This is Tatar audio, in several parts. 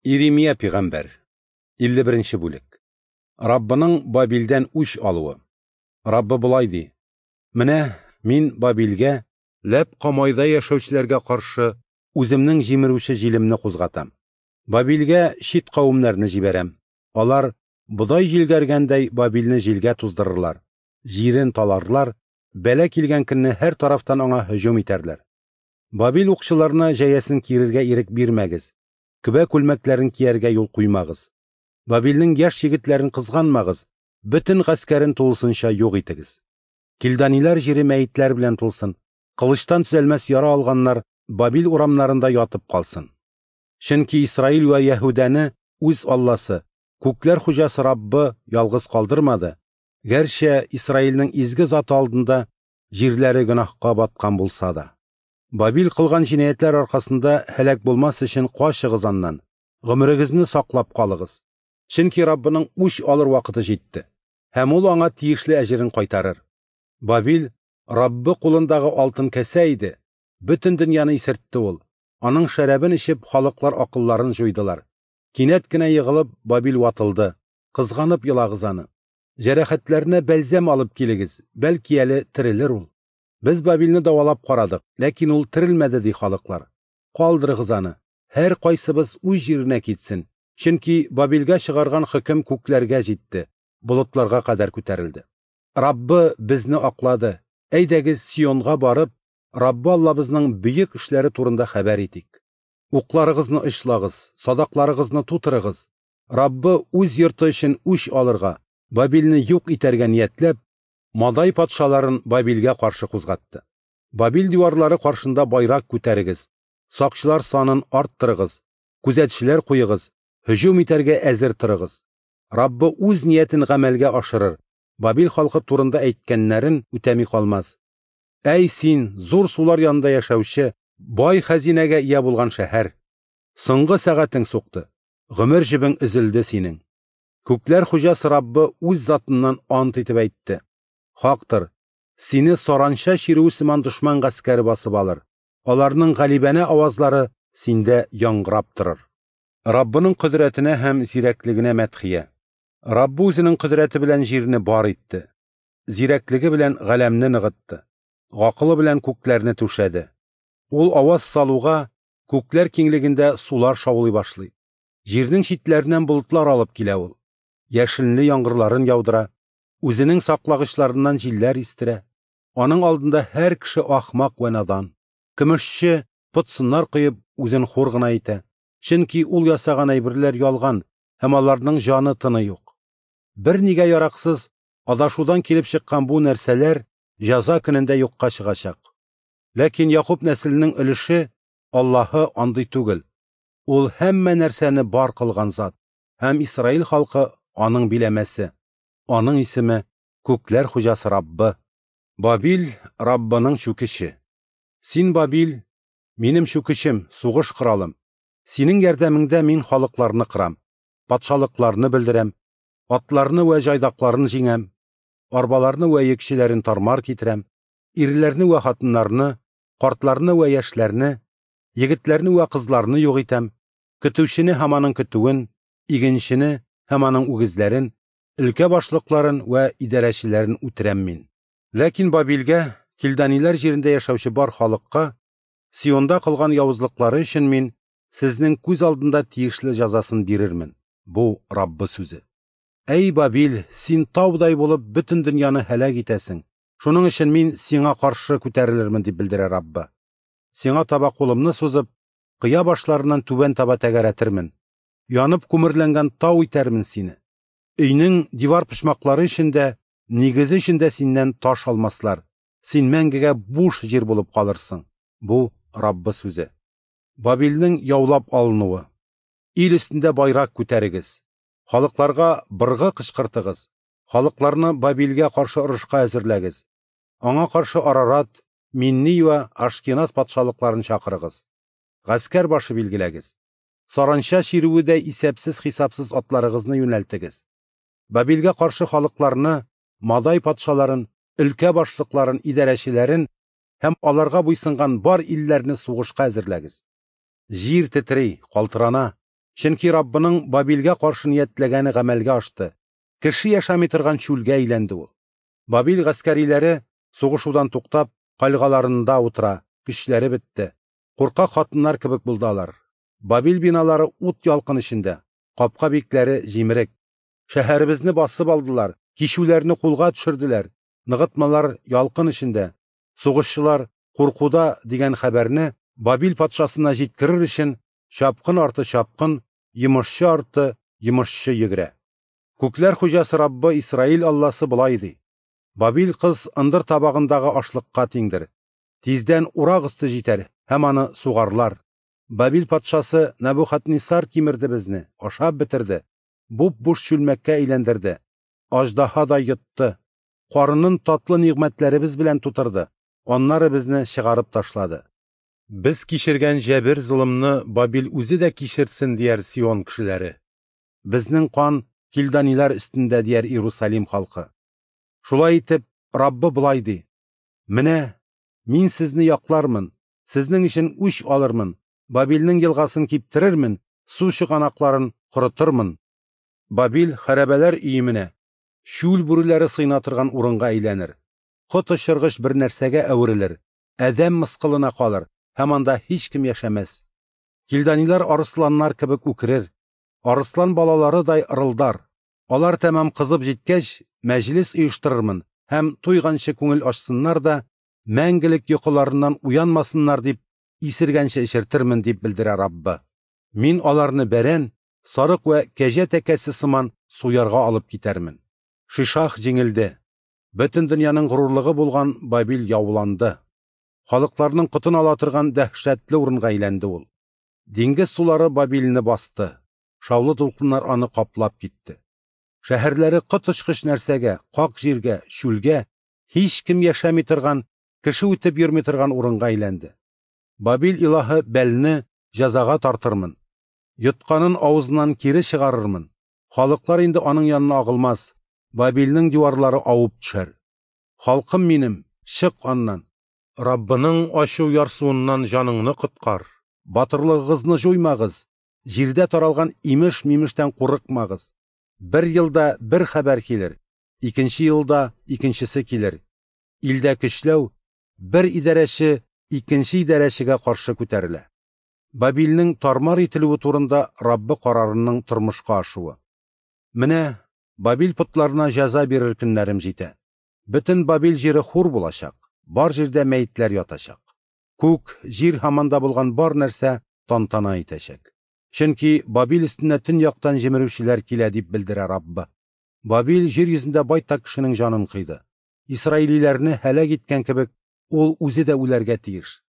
Иремия пигамбәр, 51 нче бүлек. Раббының Бабилдән үч алуы. Раббы болай ди: Менә мин Бабилгә, Ләб Камайда яшәүчеләргә каршы үземнең җимерүче җилемне кузгатам. Бабилгә чит кавемнәрне җибәрәм. Алар бодай җилгәргәндәй Бабилне җилгә туздырырлар, җирен таларлар, бәла килгән көнне һәр тарафтан аңа һөҗүм итәрләр. Бабил укчыларына җәясен киерергә ирек бирмәгез, көбә күлмәкләрен кияргә юл куймагыз. Бабилнең яшь егетләрен кызганмагыз, бөтен гаскәрен тулысынча юк итегез. Килданиләр җире мәетләр белән тулсын, кылычтан төзәлмәс яра алганнар Бабил урамнарында ятып калсын. Чөнки Исраил вә Яһүдәне үз Алласы, күкләр хуҗасы Раббы ялгыз калдырмады, гәрчә Исраилнең изге заты алдында җирләре гөнаһка баткан булса да. Бабил кылган җинаятьләр аркасында һәлак булмас өчен качыгыз аннан, гомерегезне саклап калыгыз. Чөнки Раббының үч алыр вакыты җитте, һәм ул аңа тиешле әҗерен кайтарыр. Бабил Раббы кулындагы алтын кәсә иде, бөтен дөньяны исертте ул. Аның шәрабен эчеп, халыклар акылларын җуйдылар. Кинәт кенә егылып, Бабил ватылды. Кызганып елагыз аны. Җәрәхәтләренә бәлзәм алып килегез, бәлки әле терелер ул. Без Бабилне дәвалап карадык, ләкин ул терелмәде, ди халыклар. Калдырыгыз аны, һәркайсыбыз үз җиренә китсен, чөнки Бабилгә чыгарган хөкем күкләргә җитте, болытларга кадәр күтәрелде. Раббы безне аклады. Әйдәгез, Сионга барып, Раббы Аллабызның бөек эшләре турында хәбәр итик. Укларыгызны очлагыз, садакларыгызны тутырыгыз. Раббы үз йорты өчен үч алырга, Бабилне юк итәргә ниятләп, Мадай патшаларын Бабилгә каршы кузгатты. Бабил диварлары каршында байрак күтәрегез, сакчылар санын арттырыгыз, күзәтчеләр куегыз, һөҗүм итәргә әзер торыгыз. Раббы үз ниятен гамәлгә ашырыр, Бабил халкы турында әйткәннәрен үтәми калмас. Әй син, зур сулар янында яшәүче, бай хәзинәгә ия булган шәһәр! Соңгы сәгатең сукты, гомер җебең өзелде синең. Күкләр хуҗасы Раббы үз затыннан ант итеп әйтте: Хактыр, сине саранча чирүе сыман дошман гаскәре басып алыр. Аларның галибәнә авазлары синдә яңгырап торыр. Раббының кодрәтенә һәм зирәклегенә мәдхия. Раббы үзенең кодрәте белән җирне бар итте, зирәклеге белән галәмне ныгытты, гакылы белән күкләрне түшәде. Ул аваз салуга, күкләр киңлегендә сулар шаулый башлый. Җирнең читләреннән болытлар алып килә ул. Яшенле яңгырларын яудыра, үзенең саклагычларыннан җилләр истерә. Аның алдында һәр кеше ахмак вә надан. Көмешче пот-сыннар коеп, үзен хур гына итә. Чөнки ул ясаган әйберләр ялган һәм аларның җаны тыны юк. Бернигә яраксыз, адашудан килеп чыккан бу нәрсәләр җәза көнендә юкка чыгачак. Ләкин Якуб нәселенең өлеше Аллаһы андый түгел. Ул һәммә нәрсәне бар кылган зат, һәм Исраил халкы аның биләмәсе. Аның исеме Күкләр хуҗасы Раббы. Бабил Раббының чүкече. Син, Бабил, минем чүкечем, сугыш коралым. Синең ярдәмеңдә мин халыкларны кырам, патшалыкларны белдерәм, атларны вә җайдакларын җиңәм, арбаларны вә йөкчеләрен тармар китерәм, ирләрне вә хатыннарны, картларны вә яшьләрне, егетләрне вә кызларны юк итәм, көтүчене һәм аның көтүен, игенчене һәм аның үгезләрен, өлкә башлыкларын вә идарәчеләрен үтерәм мин. Ләкин Бабилгә, килданиләр җирендә яшәүче бар халыкка, Сионда кылган явызлыклары өчен мин сезнең күз алдында тиешле җәзасын бирермен. Бу Раббы сүзе. Әй Бабил, син таудай булып бөтен дөньяны һәлак итәсең. Шуның өчен мин сиңа каршы күтәрелермен, дип белдерә Раббы. Сиңа таба кулымны сузып, кыя башларыннан түбән таба тәгәрәтермен. Янып күмерләнгән тау итәрмен сине. Өйнең дивар почмаклары өчен дә, нигезе өчен дә синнән таш алмаслар. Син мәңгегә буш җир булып калырсың. Бу Раббы сүзе. Бабилнең яулап алынуы. Ил өстендә байрак күтәрегез. Халыкларга быргы кычкыртыгыз. Халыкларны Бабилгә каршы орышка әзерләгез. Аңа каршы Арарат, Минни вә Ашкеназ патшалыкларын чакырыгыз. Гаскәр башы билгеләгез. Саранча чирүе дә исәпсез-хисапсыз атларыгызны юнәлтегез. Бабилгә каршы халыкларны, Мадай патшаларын, өлкә башлыкларын, идарәчеләрен һәм аларга буйсынган бар илләрне сугышка әзерләгез. Җир тетри, калтырана. Чөнки Раббының Бабилгә каршы ниятләгәне гамәлгә ашты, кеше яшәми торган чүлгә әйләнде ул. Бабил гаскәриләре, сугышудан туктап, кальгаларында утыра, көчләре бетте. Куркак хатыннар кебек булды алар. Бабил биналары ут ялкын эчендә, капка бикләре җимерек. Шәһәребезне басып алдылар, кичүләрне кулга төшерделәр, ныгытмалар ялкын эчендә, сугышчылар куркуда дигән хәбәрне Бабил патшасына җиткерер өчен чапкын арты чапкын, йомышчы арты йомышчы йөгерә. Күкләр хуҗасы Раббы Исраил Алласы болай ди: Бабил кыз ындыр табагындагы ашлыкка тиңдер. Тиздән урак өсте җитәр һәм аны сугарлар. Бабил патшасы Нәбухаднессар кимерде безне, ашап бетерде, буп-буш чүлмәккә әйләндерде, аждаһа да йотты, карынын татлы нигъмәтләребез белән тутырды, аннары безне чыгарып ташлады. Без кичергән җәбер-золымны Бабил үзе дә кичерсен, дияр Сион кешеләре. Безнең кан килданилар өстендә, дияр Иерусалим халкы. Шулай итеп, Раббы болай ди: Менә мин сезне яклармын, сезнең өчен үч алырмын, Бабилнең елгасын киптерермен, су чыганакларын корытырмын. Бабил хәрабәләр өеменә, чүл бүреләре сыена торган урынга әйләнер. Коточыргыч бер нәрсәгә әверелер, адәм мыскылына калыр һәм анда һичкем яшәмәс. Килданилар арысланнар кебек үкерер, арыслан балаларыдай ырылдар. Алар тәмам кызып җиткәч, мәҗлес оештырырмын һәм туйганчы күңел ачсыннар да, мәңгелек йокыларыннан уянмасыннар дип, исергәнче эчертермен, дип белдерә Раббы. Мин аларны бәрән, сарык вә кәҗә тәкәсе сыман суярга алып китәрмен. Шишах җиңелде. Бөтен дөньяның горурлыгы булган Бабил яуланды. Халыкларның котын ала торган дәһшәтле урынга әйләнде ул. Диңгез сулары Бабилне басты. Шаулы дулкыннар аны каплап китте. Шәһәрләре коточкыч нәрсәгә, как җиргә, чүлгә, һичкем яшәми торган, кеше үтеп йөрми торган урынга әйләнде. Бабил илаһы Бәлне җәзага тартырмын. Йотканын авызыннан кире чыгарырмын. Халыклар инде аның янына агылмас. Бабилнең диварлары авып төшәр. Халкым минем, чык аннан. Раббының ачу ярсуыннан җаныңны коткар. Батырлыгыгызны җуймагыз. Җирдә таралган имеш-мимештән курыкмагыз. Бер елда бер хәбәр килер, икенче елда икенчесе килер. Илдә көчләү, бер идарәче икенче идарәчегә каршы күтәрелә. Бабилнең тармар ителүе турында Раббы карарының тормышка ашуы. Менә Бабил потларына җәза бирер көннәрем җитә. Бөтен Бабил җире хур булачак, бар җирдә мәетләр ятачак. Күк, җир һәм анда булган бар нәрсә тантана итәчәк. Чөнки Бабил өстенә төньяктан җимерүчеләр килә, дип белдерә Раббы. Бабил җир йөзендә байтак кешенең җанын кыйды. Исраилиләрне һәлак иткән кебек, ул үзе дә үләргә тиеш.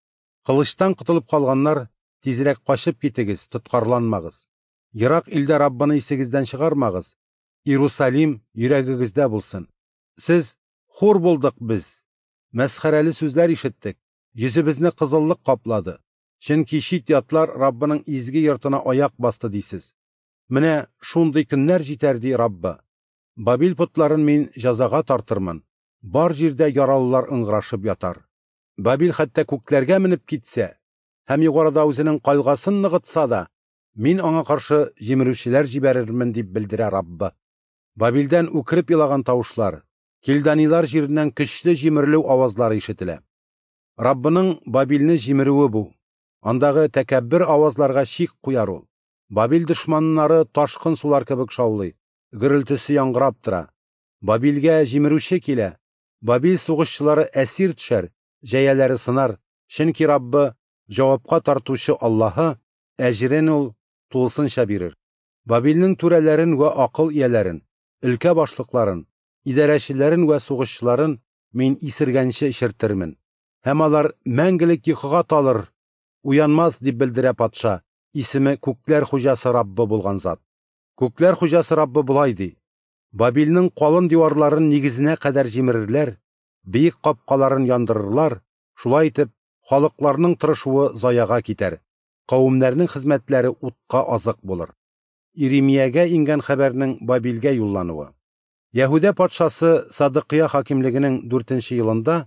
Кылычтан котылып калганнар, тизрәк качып китегез, тоткарланмагыз. Ерак илдә Раббыны исегездән чыгармагыз. Иерусалим йөрәгегездә булсын. Сез хур булдык без. Мәсхәрәле сүзләр ишеттек. Йөзебезне кызыллык каплады. Чөнки чит ятлар Раббының изге йортына аяк басты дисез. Менә шундый көннәр җитәр, ди Раббы. Бабил потларын мин җәзага тартырмын. Бар җирдә яралылар ыңгырашып ятар. Бабил хәтта күкләргә менеп китсә һәм югарыда үзенең кальгасын ныгытса да, мин аңа каршы җимерүчеләр җибәрермен, дип белдерә Раббы. Бабилдән үкереп елаган тавышлар, килданилар җиреннән көчле җимерелү авазлары ишетелә. Раббының Бабилне җимерүе бу. Андагы тәкәббер авазларга чик куяр ул. Бабил дошманнары ташкын сулар кебек шаулый, гөрелтесе яңгырап тора. Бабилгә җимерүче килә. Бабил сугышчылары әсир төшәр, җәяләре сынар, чөнки Раббы җавапка тартучы Аллаһы әҗрен ул тулысынча бирер. Бабилнең түрәләрен вә акыл ияләрен, өлкә башлыкларын, идарәчеләрен вә сугышчыларын мин исергәнче эчертермен. Һәм алар мәңгелек йокыга талыр, уянмас, дип белдерә патша, исеме Күкләр хуҗасы Раббы булган зат. Күкләр хуҗасы Раббы болай ди: Бабилнең калын диварларын нигезенә кадәр җимерерләр, биек капкаларын яндырырлар, шулай итеп халыкларның тырышуы заяга китәр, кавемнәрнең хезмәтләре утка азык булыр. Иремиягә иңгән хәбәрнең Бабилгә юллануы. Яһүдә патшасы Садыкыя хакимлегенең 4-нче елында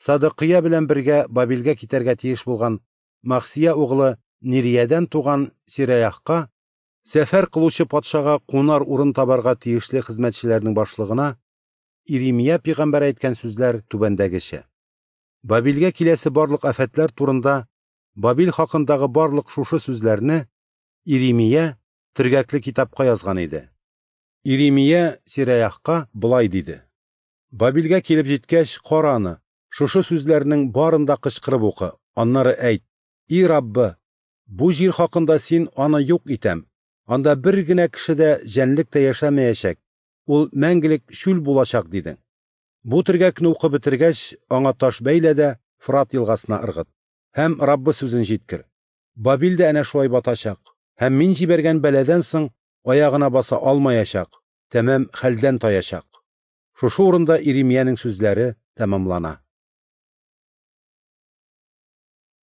Садыкыя белән бергә Бабилгә китәргә тиеш булган Махсия углы Нириядән туган Сираяхка Сәфәр кылучы патшага кунар урын табарга тиешле хезмәтчеләрнең башлыгына Иремия пәйгамбәр әйткән сүзләр түбәндәгечә. Бабилгә киләсе барлык афәтләр турында Бабил хакындагы барлык шушы сүзләрне Иремия төргәкле китапка язган иде. Иремия Сираяхка болай диде: Бабилгә килеп җиткәч, кара аны, шушы сүзләрнең барын да кычкырып укы, аннары әйт: И Раббы, бу җир хакында син аны юк итәм, анда бер генә кеше дә, җәнлек тә яшәмәячәк, ул мәңгелек чүл булачак, дидең. Бу төргәкне укып бетергәч, аңа таш бәйлә дә Фрат елгасына ыргыт. Һәм Раббы сүзен җиткер. Бабил дә әнә шулай батачак, һәм мин җибәргән бәладән соң аягына баса алмаячак, тәмам хәлдән таячак. Шушы урында Иремиянең сүзләре тәмамлана.